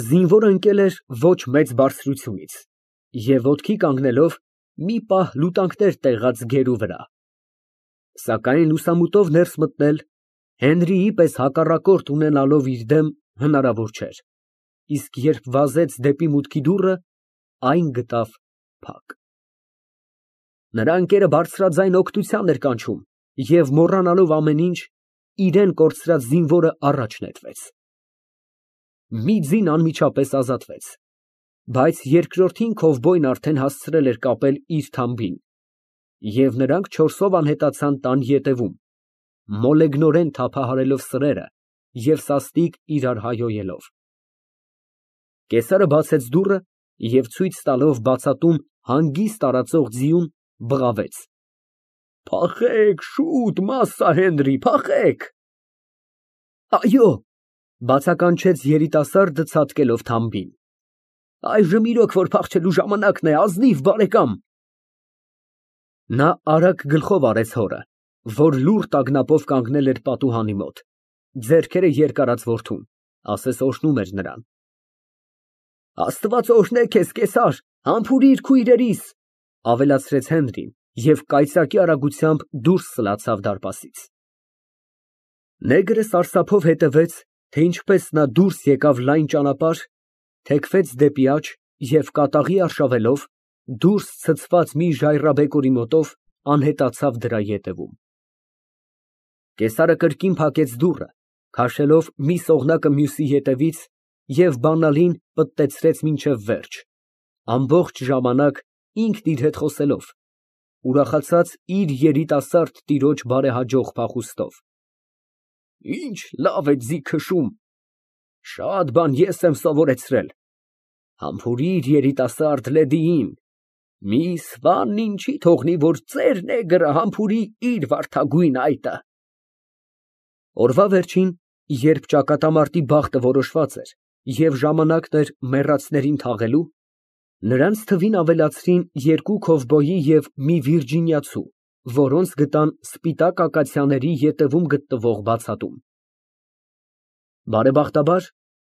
Զինվորը ընկել էր ոչ մեծ բարձրությունից և ոտքի կանգնելով մի պահ լուտանքներ տեղաց գերու վրա, սակայն լուսամուտով ներս մտնել Հենրիի պես հակառակորդ ունենալով իր դեմ հնարավոր չէր, իսկ երբ վազեց դեպի մուտքի դուռը, այն գտավ փակ։ Նրա ընկերը բարձրաձայն օգնության էր կանչում և մոռանալով ամեն ինչ, իրան կորցրած զինվորը առաջ նետվեց։ Մի ձին անմիջապես ազատվեց, բայց երկրորդին քովբոյն արդեն հասցրել էր կապել իր թամբին, և նրանք չորսով անհետացան տան ետևում, մոլեգնորեն թափահարելով սրերը և սաստիկ իրար հայհոյելով։ Կեսարը բացեց դուռը և ցույց տալով բացատում հանգիստ տարածող ձիուն, բղավեց. «Փախեք, շուտ, Մասա Հենրի, փախեք»։ «Այո», բացականչեց երիտասարդը ցատկելով թամբին, «այժմ իրոք որ փախչելու ժամանակն է, ազնիվ բարեկամ»։ Նա արագ գլխով արեց հորը, որ լուռ տագնապով կանգնել էր պատուհանի մոտ, ձեռքերը երկարած որդուն, ասես օրհնում էր նրան։ «Աստված օրհնե քեզ, Կեսար, համբուրիր քույրերիս», ավելացրեց Հենրին և կայծակի արագությամբ դուրս սլացավ դարպասից։ Նեգրը սարսափով հետևեց, թե ինչպես նա դուրս եկավ լայն ճանապարհ, թեքվեց դեպի աջ և կատաղի արշավելով, դուրս ցցված մի ժայռաբեկորի մոտով անհետացավ դրա ետևում։ Կեսարը կրկին փակեց դուռը, քաշելով մի սողնակը մյուսի ետևից և բանալին պտտեցրեց մինչև վերջ, ամբողջ ժամանակ ինքն իր հետ խոսելով, ուրախացած իր երիտասարդ տիրոջ բարեհաջող փախուստով։ Ինչ լավ է ձի քշում, շատ բան ես եմ սովորեցրել։ Համբուրիր երիտասարդ լեդիին, միս Վանն ինչի թողնի, որ ծեր նեգրը համբուրի իր վարդագույն այտը։ Օրվա վերջին, երբ ճակատամարտի բախտը որոշված էր և ժամանակն էր մեռածներին թաղելու, նրանց թվին ավելացրին երկու քովբոյի և մի վիրջինիացու, որոնց գտան սպիտակ ակացիաների ետևում գտնվող բացատում։ Բարեբախտաբար,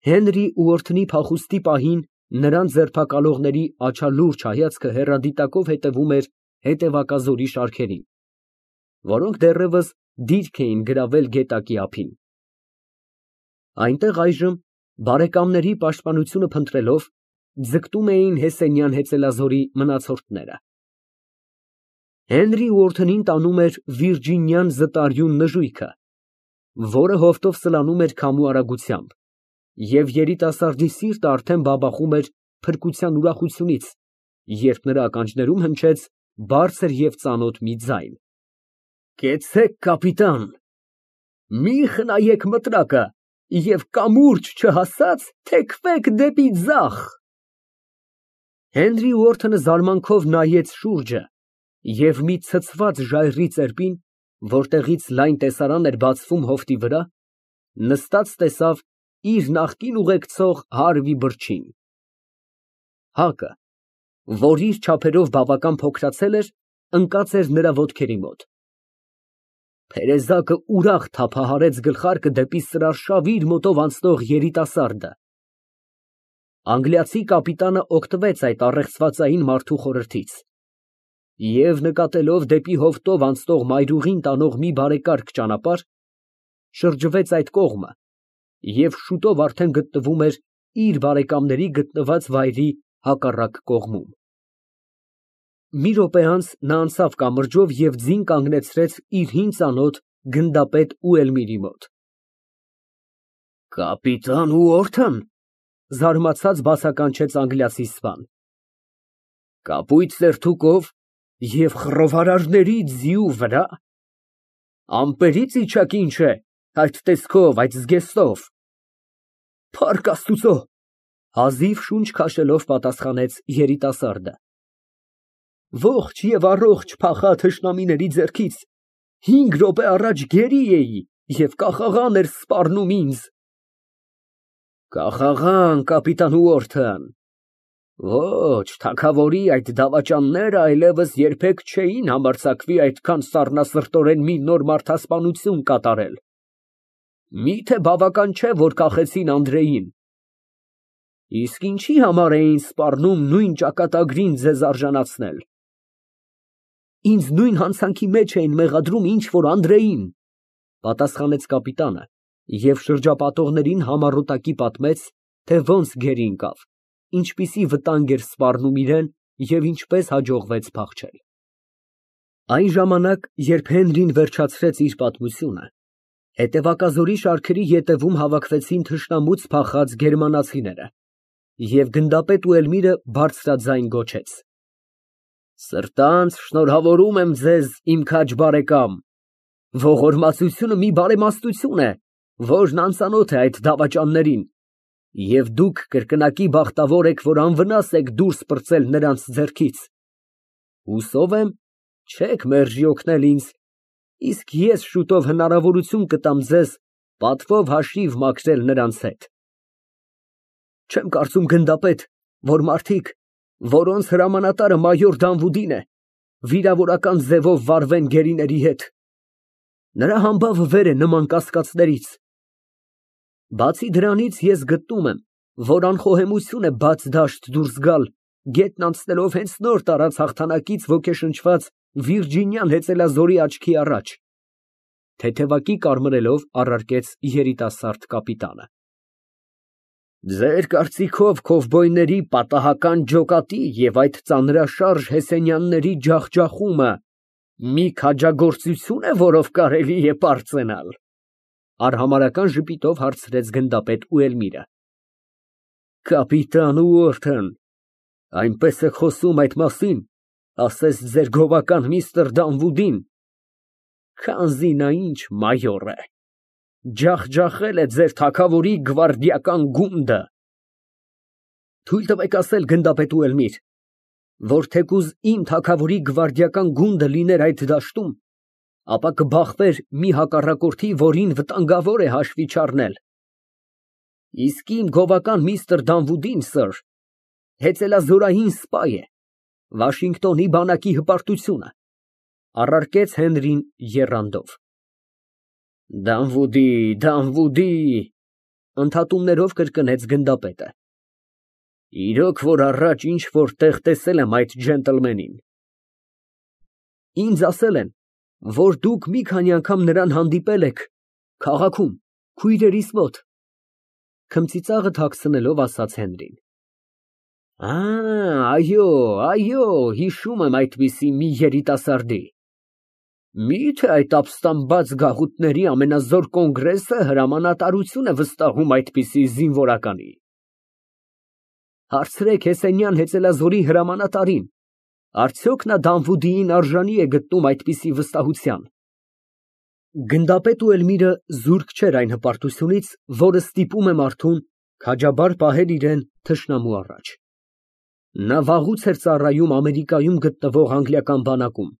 Հենրի ու օրդնի փախուստի պահին նրան ձերբակալողների աչալուրջ հայացքը հեռադիտակով հետևում էր հետևակազորի շարքերին, որոնք դեռևս դիրք էին գրավել գետակի ափին։ Այնտեղ այժմ, բարեկամների պաշտպանությունը փնտրելով, ձգտում էին Հեսենյան հեծելազորի մնացորդները։ Հենրի ու օրդնին տանում էր վիրջինյան զտարյուն նժույգը, որը հովտով սլանում էր քամու արագությամբ, և երիտասարդի սիրտը արդեն բաբախում էր փրկության ուրախությունից, երբ նրա ականջներում հնչեց բարձր և ծանոթ մի ձայն. «Կեցցեք, կապիտան, մի խնայեք մտրակը և կամուրջ չհասած թեքվեք դեպի ձախ»։ Հենրի ու օրդնը զարմանքով նայեց շուրջը և մի ցցված ժայռի ծերպին, որտեղից լայն տեսարան էր բացվում հովտի վրա, նստած տեսավ իր նախկին ուղեկցող Հարվի բրջին։ Հակը, որ իր չափերով բավական փոքրացել էր, ընկած էր նրա ոտքերի մոտ։ Փերեզակը ուրախ թափահարեց գլխարկը դեպի սրարշավ իր մոտով անցնող երիտասարդը։ Անգլիացի կապիտանը օգտվեց այդ առեղծվածային մարդու խորհրդից և, նկատելով դեպի հովտով անցնող մայրուղին տանող մի բարեկարգ ճանապարհ, շրջվեց այդ կողմը և շուտով արդեն գտնվում էր իր բարեկամների գտնված վայրի հակառակ կողմում։ Մի րոպե անց նա անցավ կամրջով և ձին կանգնեցրեց իր հին ծանոթ գնդապետ Ուելմիրի մոտ։ «Կապիտան Ուորթն», զարմացած բացականչեց անգլիացի սպան, «կապույտ սերտուկով և խռովարարների ձիու վրա, ամպերից իջաք ինչ է, այդ տեսքով, այդ զգեստով»։ «Փառք Աստուծո», հազիվ շունչ քաշելով պատասխանեց երիտասարդը, «ողջ և առողջ փախա թշնամիների ձեռքից, 5 րոպե առաջ գերի էի և կախաղան էր սպառնում ինձ»։ «Կախաղան, կապիտան Ուորթն, ոչ, թագավորի այդ դավաճանները այլևս երբեք չէին համարձակվի այդքան սառնասրտորեն մի նոր մարդասպանություն կատարել։ Մի՞թե բավական չէ, որ կախեցին Անդրեին»։ Իսկ ինչի համար էին սպառնում նույն ճակատագրին ձեզ արժանացնել։ Ինձ նույն հանցանքի մեջ էին մեղադրում, ինչ որ Անդրեին, պատասխանեց կապիտանը և շրջապատողներին համառոտակի պատմեց, թե ոնց գերի ընկավ, ինչպիսի վտանգ էր սպառնում իրան և ինչպես հաջողվեց փախչել։ Այն ժամանակ, երբ Հենրին վերջացրեց իր պատմությունը, հետևակազորի շարքերի ետևում հավաքվեցին թշնամուց փախած գերմանացիները, և գնդապետ Ուելմիրը բարձրաձայն գոչեց. Սրտանց շնորհավորում եմ ձեզ, իմ քաջ բարեկամ, ողորմածությունը մի բարեմաստություն է, որն անծանոթ է այդ դավաճաններին, և դուք կրկնակի բախտավոր եք, որ անվնաս եք դուրս պրծել նրանց ձեռքից։ Հուսով եմ, չեք մերժի օգնել ինձ, իսկ ես շուտով հնարավորություն կտամ ձեզ պատվով հաշիվ մաքրել նրանց հետ։ Չեմ կարծում, գնդապետ, որ մարդիկ, որոնց հրամանատարը մայոր Դանվուդին է, վիրավորական ձևով վարվեն գերիների հետ։ Նրա համբավը վեր է նման կասկածներից։ Բացի դրանից ես գտնում եմ, որ անխոհեմություն է բաց դաշտ դուրս գալ, գետն անցնելով հենց նոր տարած հաղթանակից ոգեշնչված Վիրջինյան հեծելազորի աչքի առաջ, թեթևակի կարմրելով առարկեց երիտասարդ կապիտանը։ Ձեր կարծիքով քովբոյների պատահական ջոկատի և այդ ծանրաշարժ հեսենյանների ջախջախումը մի քաջագործություն է, որով կարելի է պարծենալ, արհամարհական ժպիտով հարցրեց գնդապետ Ուելմիրը։ Կապիտան Ուորթն այնպես է խոսում այդ մասին, ասես ձեր գովական միստր Դանվուդին, քանզի նա ինչ մայոր է, ջախջախել է ձեր թագավորի գվարդիական գունդը։ Թույլ տվեք ասել, գնդապետ Ուելմիր, որ թեկուզ իմ թագավորի գվարդիական գունդը լիներ այդ դաշտում, ապա կբախվեր մի հակառակորդի, որին վտանգավոր է հաշվի չառնել։ Իսկ իմ գովական միստր Դանվուդին, սըր, հեծելազորային սպա է, Վաշինգտոնի բանակի հպարտությունը, առարկեց Հենրին եռանդով։ Դանվուդի, ընդհատումներով կրկնեց գնդապետը։ Իրոք որ առաջ ինչ որ տեղ տեսել եմ այդ ջենտլմենին։ Ինձ ասել են, որ դուք մի քանի անգամ նրան հանդիպել եք քաղաքում, քույրերիս մոտ, քմծիծաղը թաքցնելով ասաց Հենրին։ Այո, հիշում եմ այդպիսի մի երիտասարդի։ Մի՞թե այդ ապստամբած գաղութների ամենազոր կոնգրեսը հրամանատարություն է վստահում այդպիսի զինվորականի։ Հարցրեք Հեսենյան հեծելազորի հրամանատարին, արդյոք նա Դանվուդիին արժանի է գտնում այդպիսի վստահության։ Գնդապետ Ուելմիրը զուրկ չէր այն հպարտությունից, որը ստիպում է մարդուն քաջաբար պահել իրան թշնամու առաջ։ Նա վաղուց էր ծառայում Ամերիկայում գտնվող անգլիական բանակում,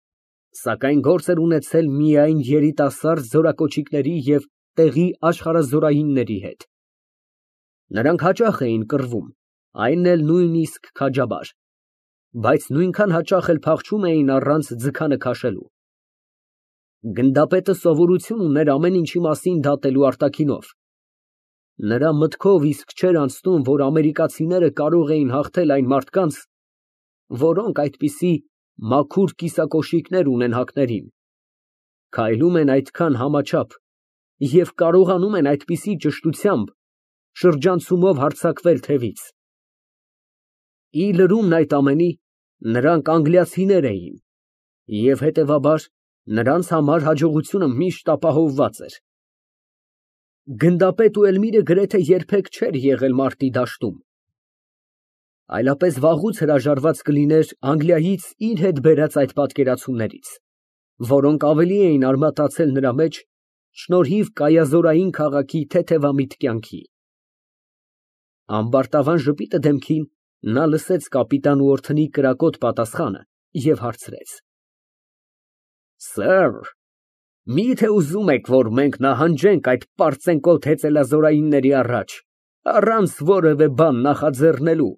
սակայն գործ էր ունեցել միայն երիտասարդ զորակոչիկների և տեղի աշխարհազորայինների հետ։ Նրանք հաճախ էին կռվում, այն էլ նույնիսկ քաջաբար, բայց նույնքան հաճախ էլ փախչում էին առանց ձգանը քաշելու։ Գնդապետը սովորություն ուներ ամեն ինչի մասին դատելու արտաքինով։ Նրա մտքով իսկ չէր անցնում, որ ամերիկացիները կարող էին հաղթել այն մարդկանց, որոնք այդպիսի մաքուր կիսակոշիկներ ունեն հակներին, քայլում են այդքան համաչափ և կարողանում են այդպիսի ճշտությամբ շրջանցումով հարձակվել թևից։ Ի լրումն այդ ամենի, նրանք անգլիացիներ էին, և հետևաբար նրանց համար հաջողությունը միշտ ապահովված էր։ Գնդապետ Ուելմիրը գրեթե երբեք չէր եղել մարտի դաշտում, այլապես վաղուց հրաժարված կլիներ Անգլիայից իր հետ բերած այդ պատկերացումներից, որոնք ավելի էին արմատացել նրա մեջ շնորհիվ կայազորային քաղաքի թեթևամիտ կյանքի։ Ամբարտավան ժպիտը դեմքին, նա լսեց կապիտան Ուորթնի կրակոտ պատասխանը և հարցրեց. Սըր, մի՞թե ուզում եք, որ մենք նահանջենք այդ պարծենկոտ հեծելազորայինների առաջ, առանց որևէ բան նախաձեռնելու,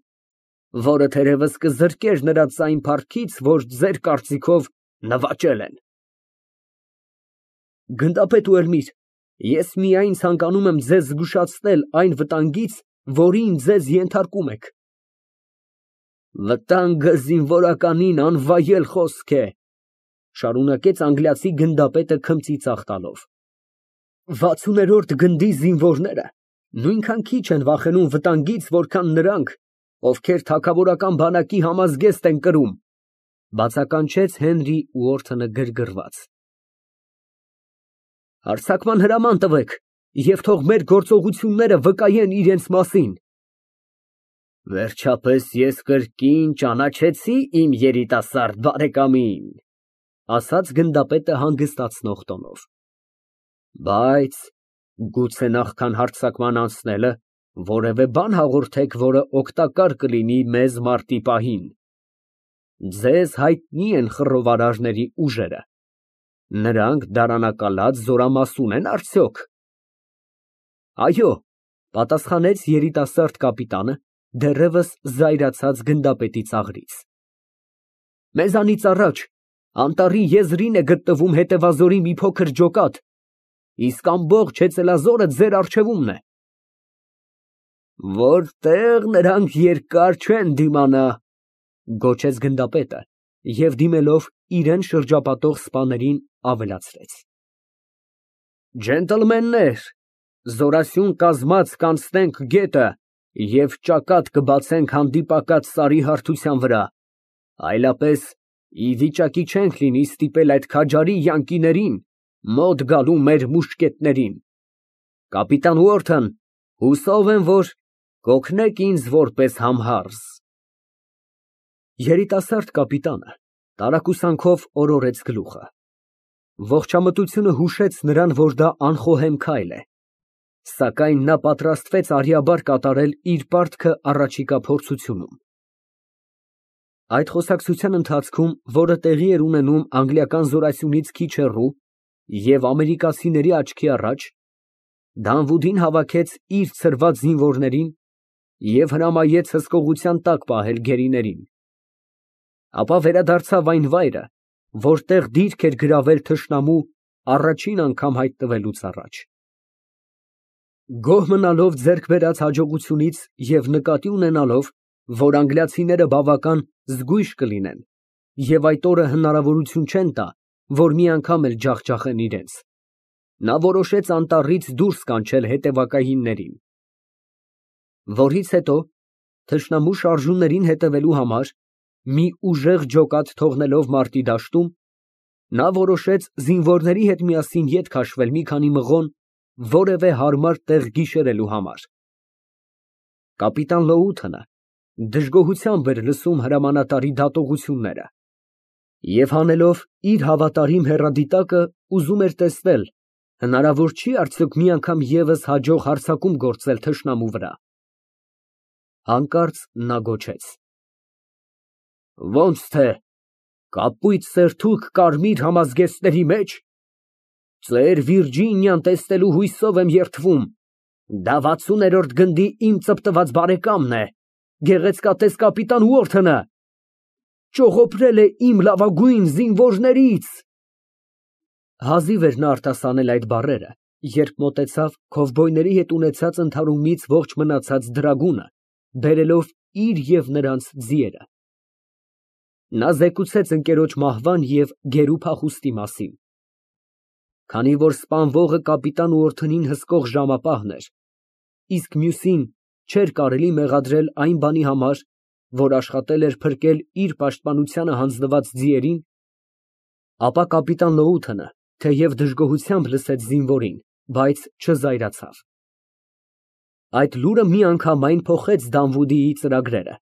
որը թերևս կզրկեր նրա ձայն փառքից, որ ձեր կարծիքով նվաճել են։ Գնդապետ Ուելմիր, ես միայն ցանկանում եմ ձեզ զգուշացնել այն վտանգից, որին ձեզ ենթարկում եք։ Վտանգը զինվորականին անվայել խոսք է, շարունակեց անգլիացի գնդապետը քմծի ծախ տալով։ 60-րդ գնդի զինվորները նույնքան քիչ են վախենում վտանգից, որքան նրանք, ովքեր թագավորական բանակի համազգեստ են կրում, բացականչեց Հենրի Ուորթոնը գրգռված։ Հարձակման հրաման տվեք և թող մեր գործողությունները վկայեն իրենց մասին։ Վերջապես ես կրկին ճանաչեցի իմ երիտասարդ բարեկամին, ասաց գնդապետը հանգստացնող տոնով։ Բայց գուցե նախքան հարձակման անցնելը որևէ բան հաղորդեք, որը օգտակար կլինի մեզ մարտի պահին։ Ձեզ հայտնի են խռովարարների ուժերը։ Նրանք դարանակալած զորամասուն են արդյոք։ Այո, պատասխանեց երիտասարդ կապիտանը, դեռևս զայրացած գնդապետի ծաղրից։ Մեզանից առաջ անտառի եզրին է գտնվում հետևազորի մի փոքր ջոկատ, իսկ ամբողջ հեծելազորը ձեր առջևումն է։ Որտեղ նրանք երկար չեն դիմանա, գոչեց գնդապետը և դիմելով իրեն շրջապատող սպաներին ավելացրեց. Ջենտլմեններ, զորասյուն կազմած կանցնենք գետը և ճակատ կբացենք հանդիպակաց սարի հարթության վրա, այլապես ի վիճակի չենք լինի ստիպել այդ քաջարի յանկիներին մոտ գալու մեր մուշկետներին։ Կապիտան Ուորթոն, հուսով եմ, որ կօգնեք ինձ որպես համհարզ։ Երիտասարդ կապիտանը տարակուսանքով օրորեց գլուխը։ Ողջամտությունը հուշեց նրան, որ դա անխոհեմ քայլ է, սակայն նա պատրաստվեց արյաբար կատարել իր պարտքը առաջիկա փորձությունում։ Այդ խոսակցության ընթացքում, որը տեղի էր ունենում անգլիական զորասյունից քիչ հեռու և ամերիկացիների աչքի առաջ, Դանվուդին հավաքեց իր ցրված զինվորներին և հրամայեց հսկողության տակ պահել գերիներին։ Ապա վերադարձավ այն վայրը, որտեղ դիրք էր գրավել թշնամու առաջին անգամ հայտնվելուց առաջ։ Գոհ մնալով ձեռք բերած հաջողությունից և նկատի ունենալով, որ անգլիացիները բավական զգույշ կլինեն և այդ օրը հնարավորություն չեն տա, որ մի անգամ էլ ջախջախեն իրենց, նա որոշեց անտառից դուրս կանչել հետևակայիններին։ Որից հետո, թշնամու շարժումներին հետևելու համար, մի ուժեղ ջոկատ թողնելով մարտի դաշտում, նա որոշեց զինվորների հետ միասին ետ քաշվել մի քանի մղոն որևէ հարմար տեղ գիշերելու համար։ Կապիտան Լոութոնը դժգոհությամբ էր լսում հրամանատարի դատողությունները և հանելով իր հավատարիմ հեռադիտակը ուզում էր տեսնել, հնարավոր չի արդյոք մի անգամ ևս հաջող հարձակում գործել թշնամու վրա։ Հանկարծ նա գոչեց. Ո՞նց թե, կապույտ սերթուք կարմիր համազգեստների մեջ։ Ծեր Վիրջինիան տեսնելու հույսով եմ երդվում, դա 60-րդ գնդի իմ ծպտված բարեկամն է, գեղեցկատես կապիտան Ուորթոնը, ճողոպրել է իմ լավագույն զինվորներից։ Հազիվ էր նա արտասանել այդ բառերը, երբ մոտեցավ քովբոյների հետ ունեցած ընդհարումից ողջ մնացած դրագունը, բերելով իր և նրանց ձիերը։ Նա զեկուցեց ընկերոջ մահվան և գերու փախուստի մասին։ Քանի որ սպանվողը կապիտան Ուորթոնին հսկող ժամապահն էր, իսկ մյուսին չէր կարելի մեղադրել այն բանի համար, որ աշխատել էր փրկել իր պաշտպանությանը հանձնված ձիերին, ապա կապիտան Լոութոնը, թեև դժգոհությամբ լսեց զինվորին, բայց չզայրացավ։ Այդ լուրը միանգամայն փոխեց Դանվուդիի ծրագրերը։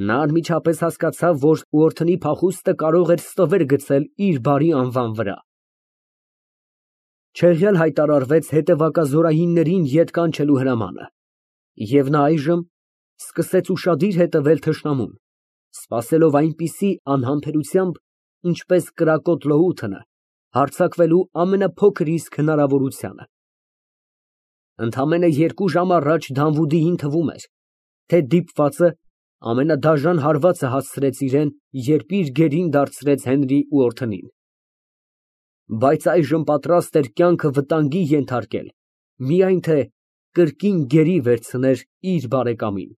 Նա անմիջապես հասկացավ, որ Ուորթոնի փախուստը կարող էր ստվեր գցել իր բարի անվան վրա։ Չեղյալ հայտարարվեց հետևակազորայիններին ետ կանչելու հրամանը, և նա այժմ սկսեց ուշադիր հետևել թշնամուն, սպասելով այնպիսի անհամբերությամբ, ինչպես կրակոտ Լոութոնը, հարձակվելու ամենափոքր իսկ հնարավորությանը։ Ընդամենը 2 ժամ առաջ Դանվուդիին թվում էր, թե դիպվածը ամենադաժան հարվածը հասցրեց իրան, երբ իր գերին դարձրեց Հենրի Ուորթոնին։ Բայց այժմ պատրաստ էր կյանքը վտանգի ենթարկել, միայն թե կրկին գերի վերցներ իր բարեկամին։